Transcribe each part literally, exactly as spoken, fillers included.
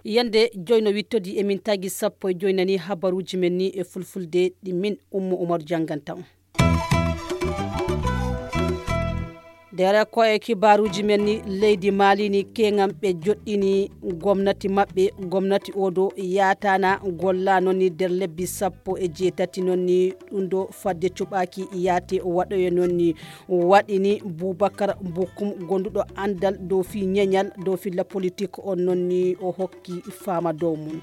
Yande joyno wittodi emin tagi sappo e joynani habaruji men ni e fulfulde ɗi min Ummu Umaru jannganta on. Dere ko e kibaruji men ni leydi Mali ni keŋam ɓe joɗɗini gomnati maɓɓe, gomnati oɗo yatana golla noon ni nder lebbi sappo e jeetati noon ni ɗum ɗo fadde cuɓaki yaate waɗoye noon ni waɗini Boubacar Bokoum gonduɗo andal dow fi ñeñal dow filla politique on noon ni o hokki fama dow mum.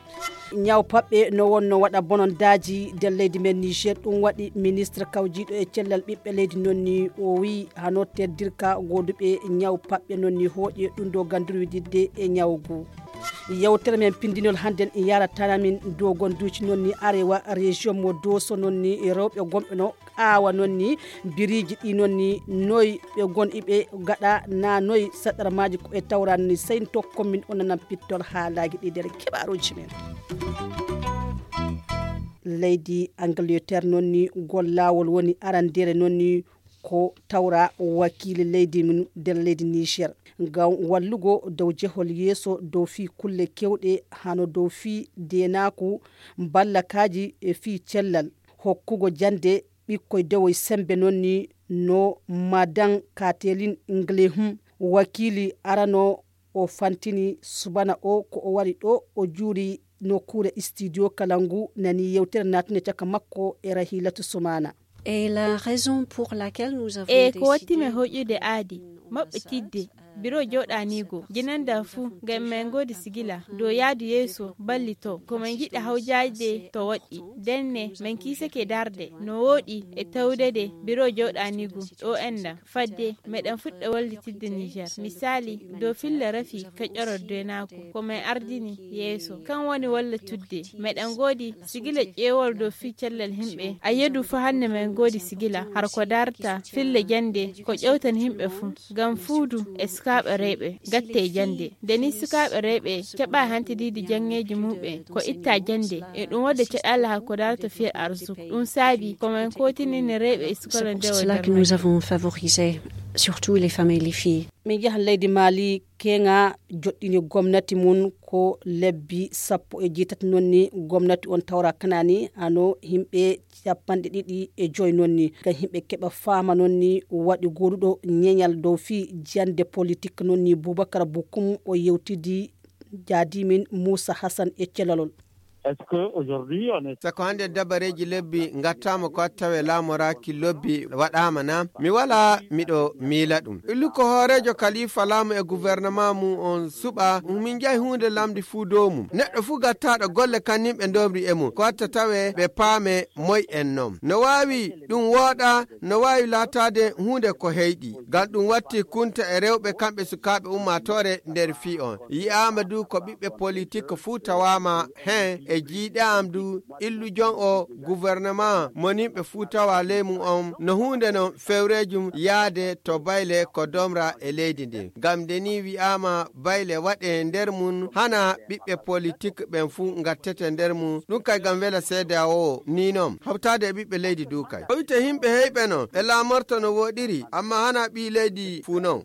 Ñaw paɓɓe no wonno waɗa bonondaaji nder leydi men Niger, ɗum waɗi ministre kawjiiɗo e cellal ɓiɓɓe leydi noon ni o wiyi hano teddirka gooduɓe ñaw paɓɓe noon ni hooƴe ɗum ɗo ganduru wididde e ñaw ngu. Yewtere men pindinol hannden yaratana min dow gonduuji noon ni arewa région mo doso noon ni rewɓe gomɓe no aawa noon ni biriiji ɗi noon ni noy ɓe gon iɓe gaɗa na noy saɗarmaaji ko e tawran ni sey tokko min onanan pittol haalaaji ɗi nder keɓaruuji men. Leydi Angleterre noon ni gol laawol woni arandere noon ni ko tawra wakiili leydi mum nder leydi Niger ngam wallugo dow jehol yeeso dow fii kulle kewɗe hano dow fii deenaaku, mballakaaji e fii cellal, hokkugo jannde ɓikkoy dewoy semmbe noon ni no Madan Katelin Nglehum wakiili arano o fantini subana o ko o wari ɗo o juuri nokkuure studio kala ngu nani yewtere natunde caka makko e Rahilatu Sumana. Et la raison pour laquelle nous avons e ko watti min hoƴude aadi maɓɓe tidde biro joɗanigo jinanda fuu ngam min ngoodi sigila dow yaadu yeeso ballito ko min ngiɗi hawjaade to woɗɗi ndenne min kiisake darde no wooɗi e tawdede biro joɗanigo ɗo enɗam fadde meɗen fuɗɗa wallitidde Niger misali dow filla rafi ka ƴoror denaaku ko min ardini yeeso kan woni walla tudde meɗen ngoodi sigila ƴeewol dow fii cellal himɓe a yedu fuu hannde min ngoodi sigila har ko darta filla jannde ko ƴewtan himɓe fuu ngam fuudu e sukaaɓe rewɓe gatte e jannde nde ni sukaaɓe rewɓe keɓa hantididi janngeeji muɓɓe ko itta jannde e ɗum waɗde caɗaala har ko darta fii arsuk ɗum saabi ko min kotinini rewɓe e sukaɓe nde o cela que nous avons favorisé surtout les femmes et les filles. Min njahan leydi Mali keŋa joɗɗini gomnati mum ko lebbi sappo e jeetati noon ni gomnati on tawra kanani hano himɓe capanɗe ɗiɗi e joyi noon ni ngam himɓe keɓa fama noon ni waɗi goɗuɗo ñeñal dow fii jande politique noon ni Boubacar Bokoum o yewtidi jaadimin Moussa Hassan e celalol. Est-ce que aujourd'hui on est sako hannde dabareeji lebbi ngattaama ko tawe laamoraaki lobbi waɗaama na mi wala miɗo miila ɗum illu ko hooreejo kalifa laamu e gouvernement mum on suɓa min njahi huunde lamdi fuu dow mum neɗɗo fuu gattaaɗo golle kannin ɓe ndomri e mum ko watta tawe ɓe paame moy en non no waawi ɗum wooɗa no waawi laataade huunde ko heyɗi ngam ɗum watti kunta e rewɓe kamɓe sukaaɓe ummaatoore nder fii on yi'aama du ko ɓiɓɓe politik fuu tawaama hen e jiiɗe am du illujon o gouvernement moninɓe fuu tawa ley mum on no huunde non fewreejum yaade to bayle ko domra e leydi ndin ngam nde ni wi'aama bayle waɗe nder mum hana ɓiɓɓe politik ɓen fuu ngattete nder mum ɗum kay ngam wela seede a o ni non hawtaade e ɓiɓɓe leydi du kay o wite yimɓe heyɓe non ɓe laamorto no woɗiri amma hana ɓii leydi fuu non.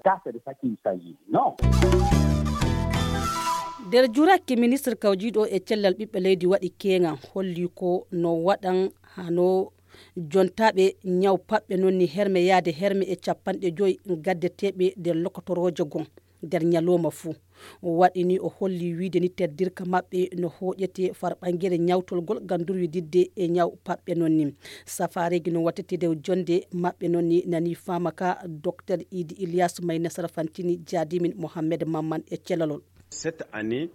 Nder jurakke ministre kawjiiɗo e cellal ɓiɓɓe leydi waɗi keeŋa holli ko no waɗan hano jontaaɓe ñaw paɓɓe noon ni herme yaade herme e capanɗe joyi gaddeteeɓe nder lokotoroojo gon nder ñalooma fuu waɗi ni o holli wiide ni teddirka maɓɓe no hooƴete farɓangere ñawtolgol ngam durwididde e ñaw paɓɓe noon ni safaareeji no waɗtete nder jonde maɓɓe noon ni nani faama ka docteur idi ilias may nasara fantini jaadimin mohammed mamman e celalol. Cette année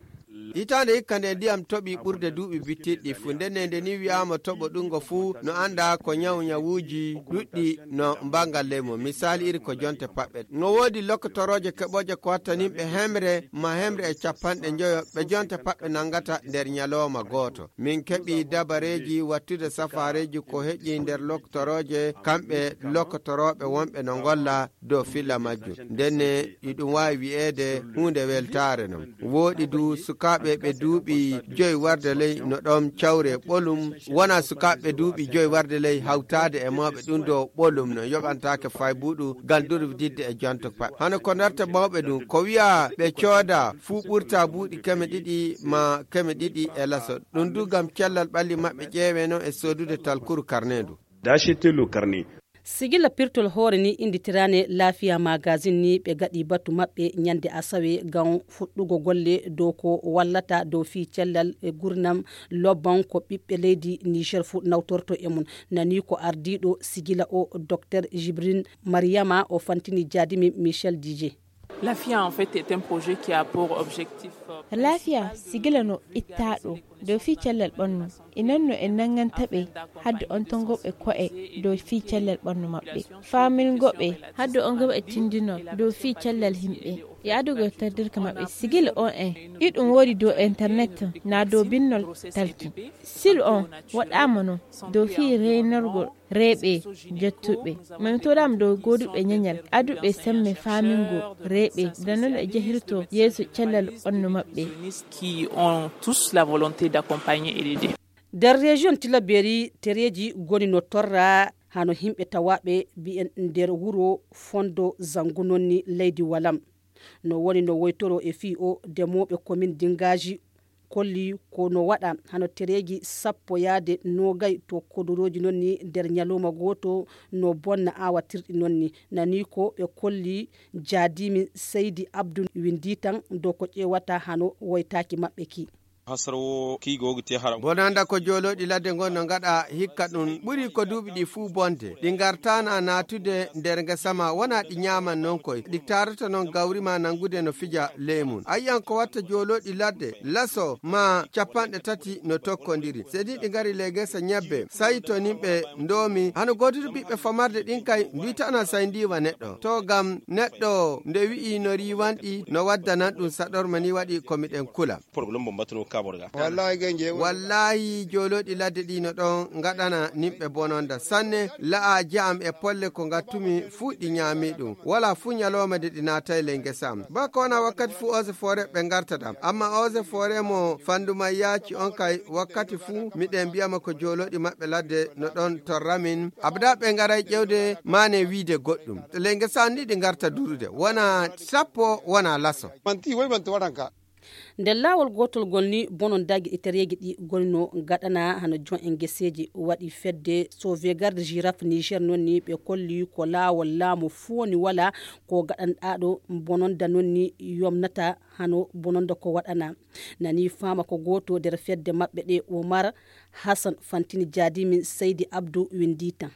hitaande hikka nde ndiyam toɓi ɓurde duuɓi bittiɗɗi fuu ndenne nde ni wi'aama toɓo ɗungo fuu no annda ko ñaw ñawuuji ɗuɗɗi no mbangal ley mum misaali iri ko jonte paɓɓe no woodi lokkotorooje keɓooje ko wattaninɓe hemre ma hemre e capanɗe njoyo ɓe jonte paɓɓe nanngata nder ñalooma gooto min keɓi dabareeji wattude safaareeji ko heƴi nder lokkotorooje kamɓe lokkotorooɓe wonɓe no ngolla dow filla majjum ndenne iɗum waawi wi'eede huunde weltaare non wooɗi du suka sukaaɓe ɓe duuɓi joyi warde ley no ɗoon cawre ɓolum, wona sukaaɓe duuɓi joyi warde ley hawtaade e mawɓe ɗum ɗo ɓolum no yoɓantaake faybuɗu ngam durwididde e jonto paɓe. Hano ko darta mawɓe ɗum, ko wiya ɓe cooda fuu ɓurta buuɗi keme ɗiɗi ma keme ɗiɗi e laso. Ɗum du ngam cellal ɓalli maɓɓe ƴeewe noon e soodude talkuru karnendu. D'acheter le carnet. Sigila pirtol hoore ni innditiraane Laafiya Magazine ni ɓe gaɗi batu maɓɓe ñande asawe ngam fuɗɗugo golle dow ko wallata dow fii cellal e gurnam lobban ko ɓiɓɓe leydi Niger fuu nawtorto e mum. Nani ko ardiiɗo sigila o Docteur Jibril Mariama o fantini jaadimi Michel Dije. Laafiya en fait est un projet qui a pour objectif, euh, Laafiya sigila no ittaaɗo dow fii cellal ɓannu. Inan no en nanngantaɓe hadde on tongoɓe ko'e dow fii cellal ɓannu maɓɓe. Faamingoɓe hadde on goɓe tindinol dow fii cellal himɓe. E adugo e tardirka maɓɓe sigila on en. Iɗum woodi dow internet na dow binnol talki. Silu on waɗaama no dow fii reynorgol reeɓe jettuɓe. Min toɗaama dow gooduɓe ñeñal aduɓe semme faamingo reeɓe. Nde non e jehirto yeeso cellal ɓannu maɓɓe. Qui ont tous la volonté d'accompagner et d'aider. Nder région Tilaberi tereeji goni no torra hano himɓe tawaaɓe mbiyen nder wuro Fondo Zangu nonni leydi Walam. No woni no woytoro e fii o demooɓe komin Dingaaji kolli ko no waɗa hano tereeji sappo yaade noogay to kodorooji nonni nder ñalawma gooto no bonna awatirɗi nonni. Nani ko ɓe kolli jaadimi Seydi Abdu windi tan dow ko ƴeewata hano woytaaki maɓɓe ki. Hasara wo ki go te haram. Bonanda ko joolooɗi ladde ngon no ngaɗa hikka ɗum ɓuri ko duuɓi ɗi fuu bonde. Ɗi ngartaana naatude nder ngesa ma wona ɗi ñaaman non koy. Ɗi taarata non gawri ma nangude no fija ley mum. A yi'an ko watta joolooɗi ladde laso ma capanɗe tati no tokkondiri. Sedi ɗi ngari ley ngesa ñebbe sayi to nimɓe ndoomi. Hano goodude ɓiɓɓe famarde ɗin kay nduytana say ndiiwa neɗɗo. To gam neɗɗo nde wi'i no riiwanɗi no waddanan ɗum saɗorma ni waɗi ko miɗen kula. Problème mo mbattuno kaɓorga. Wallahi, gay njeeɓu. Wallahi, joolooɗi ladde ɗi no ɗon ngaɗana nimɓe bononda. Sanne, la'a ja'am e polle ko ngattumi fuu ɗi ñaami ɗum. Wala fuu ñalooma de ɗi naatay ley ngesa am. Ba ko wona wakkati fuu eaux et forêt ɓe ngarta ɗam. Amma eaux et forêt mo fandu may yaaci on kay wakkati fuu miɗen mbiyama ko joolooɗi maɓɓe ladde no ɗon torramin. Abada ɓe ngaray ƴewde maane wiide goɗɗum. Ley ngesa am ni ɗi ngarta durude. Wona sappo, wona laso. Manti, woy manti waɗan ka. Nder laawol gootol ngol ni, bonondaaji e tereeji ɗi ngoni no ngaɗana hano jon en geseeji waɗi fedde Sauvegarde Girafe Niger non ni ɓe kolli ko laawol laamu fooni wala ko gaɗanɗaaɗo bononda non ni yomnata hano bononda ko waɗana. Nani faama ko gooto nder fedde maɓɓe ɗe Omar Hassan Fantini Jaadimin Seydi Abdu windi tan.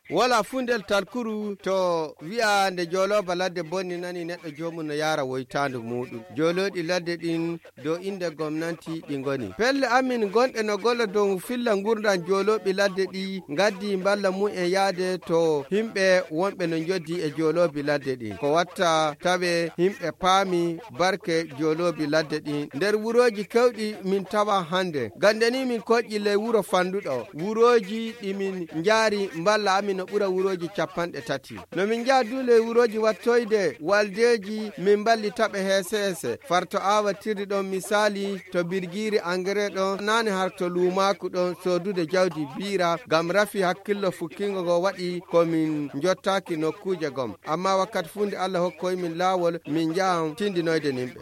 Wala fuu ndel talkuru to wi'a nde joolooba ladde bonni nani neɗɗo joomum no yaara woytaandu muuɗum. Joolooɗi ladde ɗin dow innde gomnanti ɗi ngoni. Pelle amin gonɗe no golla dow filla ngurndan joolooɓi ladde ɗi ngaddi mballa mumen yaade to himɓe wonɓe no njoddi e jooloobi ladde ɗin. Ko watta tawe himɓe paami barke jooloobi ladde ɗin. Nder wurooji kewɗi min tawa hannde. Gande ni min koƴƴi ley wuro fanduɗo. Wurooji ɗi min njaari mballa amin no ɓura wurooji capanɗe tati. No min njaha du ley wurooji wattoyde waldeeji min mballi taɓe heese heese. Far to aawatirdi ɗon misaali to birgiiri engrais ɗon naane har to luumaaku ɗon soodude jawdi biira ngam rafi hakkillo fukkingo ngo waɗi ko min njottaaki nokkuuje gom. Amma wakkati fuu nde Allah hokkoy min laawol min njahan tindinoyde nimɓe.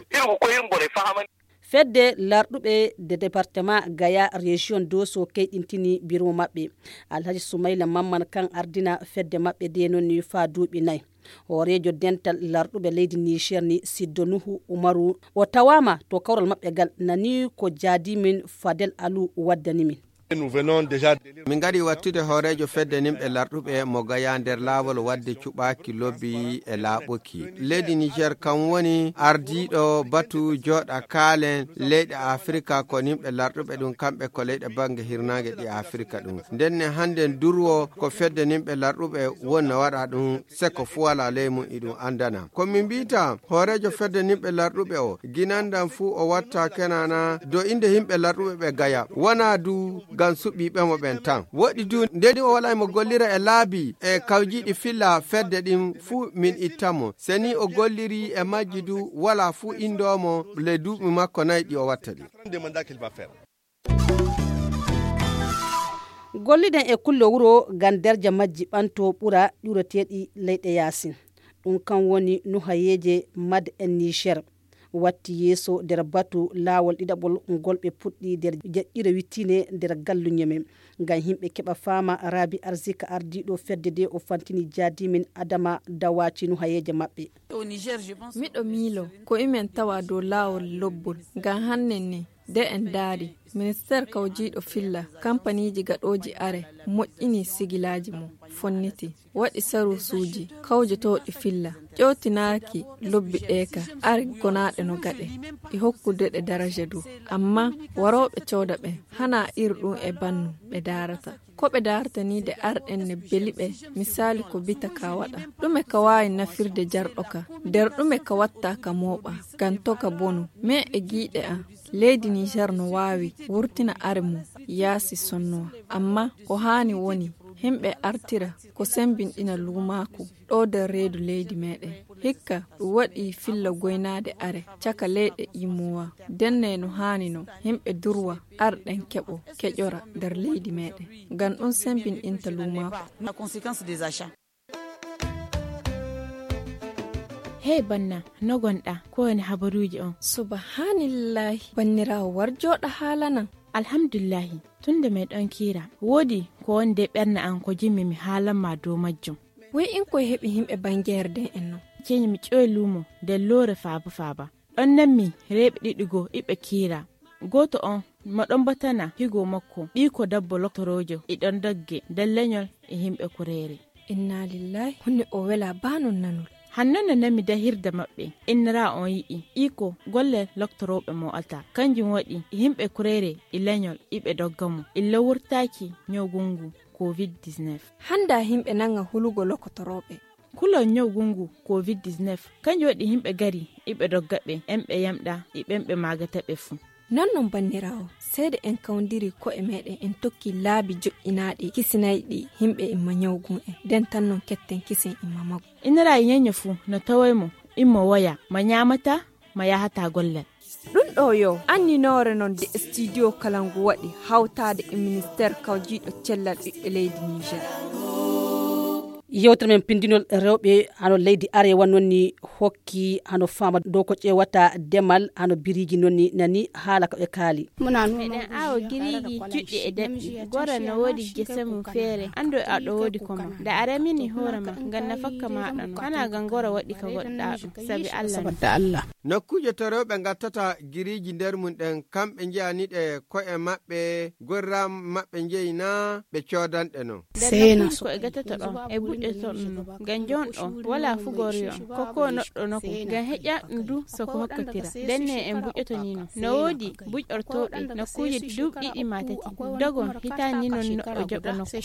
Fedde larɗuɓe de département Gaya région Doso keyɗintini biro maɓɓe. Alhaji Sumayla Mamman kan ardina fedde maɓɓe de non ni faa duuɓi nay. Hooreejo dental larɗuɓe leydi Niger ni Siddo Nuhu Umaru o tawaama to kawral maɓɓe gal nani ko jaadimin Fadel Alu waddani min. Nous venons déjà de Min ngari wattude hooreejo fedde nimɓe larɗuɓe mo Gaya nder laawol wadde cuɓaaki lobbi e laaɓuki. Leydi Niger kam woni ardiiɗo batu jooɗa kaalen leyɗe Afirka ko nimɓe larɗuɓe ɗum kamɓe ko leyɗe bannge hirnaange ɗi Afirka ɗum. Nden ne hannden durwo ko fedde nimɓe larɗuɓe woni no waɗa ɗum seko fuu walaa ley mum iɗum anndana. Ko min mbiyta hooreejo fedde nimɓe larɗuɓe o ginandan fuu o watta kenana do innde yimɓe larɗuɓe ɓe Gaya. Wonaa du Ngam suɓiiɓe mo ɓen tan. Woɗɗi du, nde ni o walaa mo gollira e laabi e kawjiiɗi filla fedde ɗin fuu, min itta mo. Se ni o golliri e majji du, walaa fuu indoo mo ley duuɓi makko nayi ɗi o watta ɗin. Golliɗen e kulle wuro ngam darja majji ɓanto ɓura ɗureteeɗi leyɗe yaasin. Ɗum kan woni nuhayeeje Mad en Niger. Watti yeeso nder batu laawol ɗiɗaɓol ngol ɓe puɗɗi nder jeɗɗire wittine nder galluñe men. Ngam yimɓe keɓa faama, Rabi Arzika, ardiiɗo fedde nde, o fantini jaadimin Adama Dawaci nuhayeeje maɓɓe. Miɗo miilo ko imen tawa dow laawol lobbol. Ngam hannen ni, nde en ndaari, ministeer kawjiiɗo filla kampaniiji gaɗooji are moƴƴini sigilaaji mum, fonniti, waɗi saruusuuji kawjotooɗi filla, ƴootinaaki lobbi ɗee ka ari gonaaɗe no gaɗe, e hokkude ɗe daraja du. Amma warooɓe cooda ɓen, hanaa ir ɗum e bannu ɓe daarata. Ko ɓe daarata ni nde arɗen ne beli ɓe, misaali ko bita ka waɗa. Ɗume ka waawi nafirde jarɗo ka? Nder ɗume ka watta ka mooɓa? Ngam to ka bonu. Men e giiɗe an, leydi Niger no waawi wurtina are mum yaasi sonnuwa. Amma ko haani woni, himɓe artira ko sembinɗina luumaaku ɗo nder reedu leydi meɗen. Hikka ɗum waɗi filla goynaade are caka leyɗe imowa. Denne no haani no, himɓe durwa arɗen keɓo keƴora nder leydi meɗen. Ngam ɗum sembinɗinta luumaaku. Hey banna, no gonɗa? Ko woni habaruuji on? Subhanillahi, banniraawo, war jooɗa haalanan. Alhamdulillahi, tun nde meɗon kiira, woodi ko woni nder ɓernde an ko jimmi mi haalan ma dow majjum. Woy in koy heɓi himɓe bangeere den en non? Ceñi mi ƴoy luumo nder loore faaba faaba. Ɗon nanmi rewɓe ɗiɗi goo iɓe kiira. Gooto on mo ɗon batana higo makko, ɓiiko dabbo loktoroojo, e ɗon dogge nder leñol e himɓe kureere. Inna lillahi, hunde o wela baa non nanol. Hanno no nanmi dahirde maɓɓe, innira on yi'i, ɓiiko golle loktorooɓe mo ata. Kanjum waɗi e himɓe kureere e leñol iɓe dogga mo. Illa wurtaaki ñawgu ngu covid dix-neuf. Hannda himɓe nanga hulugo lokotorooɓe. Kulol ñawgu ngu covid dix-neuf, kanjum waɗi himɓe gari, iɓe dogga ɓe, en ɓe yamɗa, e ɓen ɓe maagata ɓe fuu. Non non banniraawo, seede en kawndiri ko'e meɗen, en tokki laabi joƴƴinaaɗi, kisinayɗi himɓe imma ñawgu en. Den tan non ketten kisen imma maggu. Inira e ñeño fuu no tawoy mo, immo woya, ma ñaamata, ma yahata gollal. Ɗum ɗo yo anninoore non de studio Kalangu waɗi hawtaade e ministeer kawjiiɗo cellal ɓiɓɓe leydi Niger. Yewtere men pindinol rewɓe hano leydi Arewa non ni hokki hano faama dow ko ƴeewata demal hano biriiji non ni nani haala ko ɓe kaali. Meɗen aawo giriiji juɗɗi e daɗɗi. Gora no woodi gese mum feere. Anndu aɗo woodi ko ma. Nda a remini hoore ma, ngam nafakka maaɗa non. Hana ngam gora waɗi ka goɗɗa ɗum. Sabi Allah. Nokkuuje to rewɓe ngattata giriiji nder mum ɗen, kamɓe njiyani ɗe ko'e maɓɓe, gorram maɓɓe njeyi na ɓe coodanɗe non. Nder nokkuuje ko e gattata ɗon, e buƴƴoto ɗum non. Ngam jon ɗo, wala fugoriyo, ko ko noɗɗo nokku. Ngam heƴa ɗum du so ko hokkotira. Ndenne en buƴƴoto ni non. No woodi buƴƴortooɓe nokkuuje duuɓi ɗiɗi ma tati. Dogon hitaani ni non noɗɗo joɓa nokku.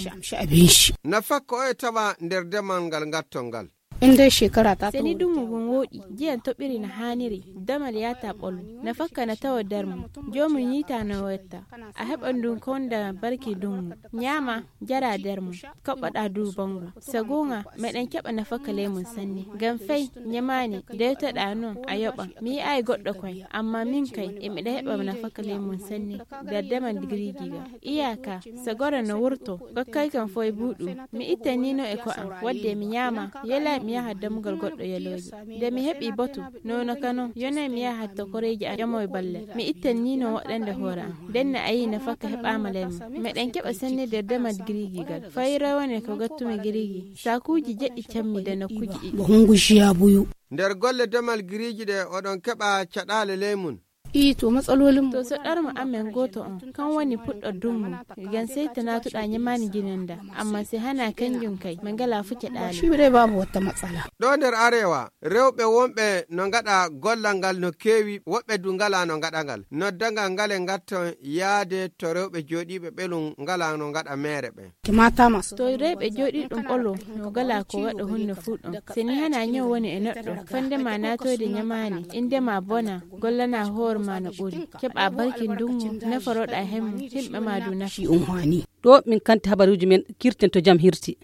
Nafakka o e tawa nder demal ngal ngattol ngal. Inde shekara ta. Seni dungu ngun woɗi, jiyan toɓɓiri no haaniri, damal yaata ɓolu. Nafakka no tawa nder mum, joomum yiita no wetta. A heɓan ndun konda barki dungu. Ñaama, jara nder mum, kaɓɓoɗa du bangu. Sagunga, meɗen keɓa nafakka ley mum sanne. Ngam fay, ñamaani, dewtoɗa non, a yoɓan. Mi yi'aay goɗɗo koy, amma min kay, e miɗa heɓa nafakka ley mum sanne. Nder demal digiriji ga. Iyaka, so goro no wurto, gokkay kam foy buuɗu. Mi ittanino e ko am, wadde mi ñaama, yela mi yaha dammugal goɗɗo yalooji. Nde mi heɓi botu, nono kano, yonay mi yaha to koreeji am, ƴamoy balle. Mi ittanino woɗɗande hoore am. Ndenne a yii nafakka heɓaama ley mum. Meɗen keɓa sennirde demal giriigigal. Fay rawane ko gattumi giriigi. Saakuuji jeɗɗi cammi de nokkuuji ɗiɗi. Nder golle demal giriiji ɗe, oɗon keɓa caɗaale ley mum? Ii, to matsalolin mu. To so ɗarmo amen gooto on, kan woni puɗɗo dungu, ngam sey to naatuɗa ñamaani jinanda, amma si hana kanjum kay, min ngala fu caɗaale. Shi dai babu wata matsala. Ɗo nder Arewa, rewɓe wonɓe no ngaɗa gollal ngal no keewi, woɓɓe du ngala no ngaɗa ngal. Noddangal ngal e ngatton yaade to rewɓe jooɗiiɓe ɓelum ngala no ngaɗa meere ɓen. To rewɓe jooɗiiɗum ɓolo no ngala ko waɗa hunde fuu ɗon. Seni hana ñaw woni e neɗɗo, fande ma naatoyde ñamaani, innde ma bona, gollana hoore Maana ɓuri keɓa barki ndungu neforoɗa hemmu himɓe ma du nafi. Ɗo min kanti habaruji men kirten to jam hirti.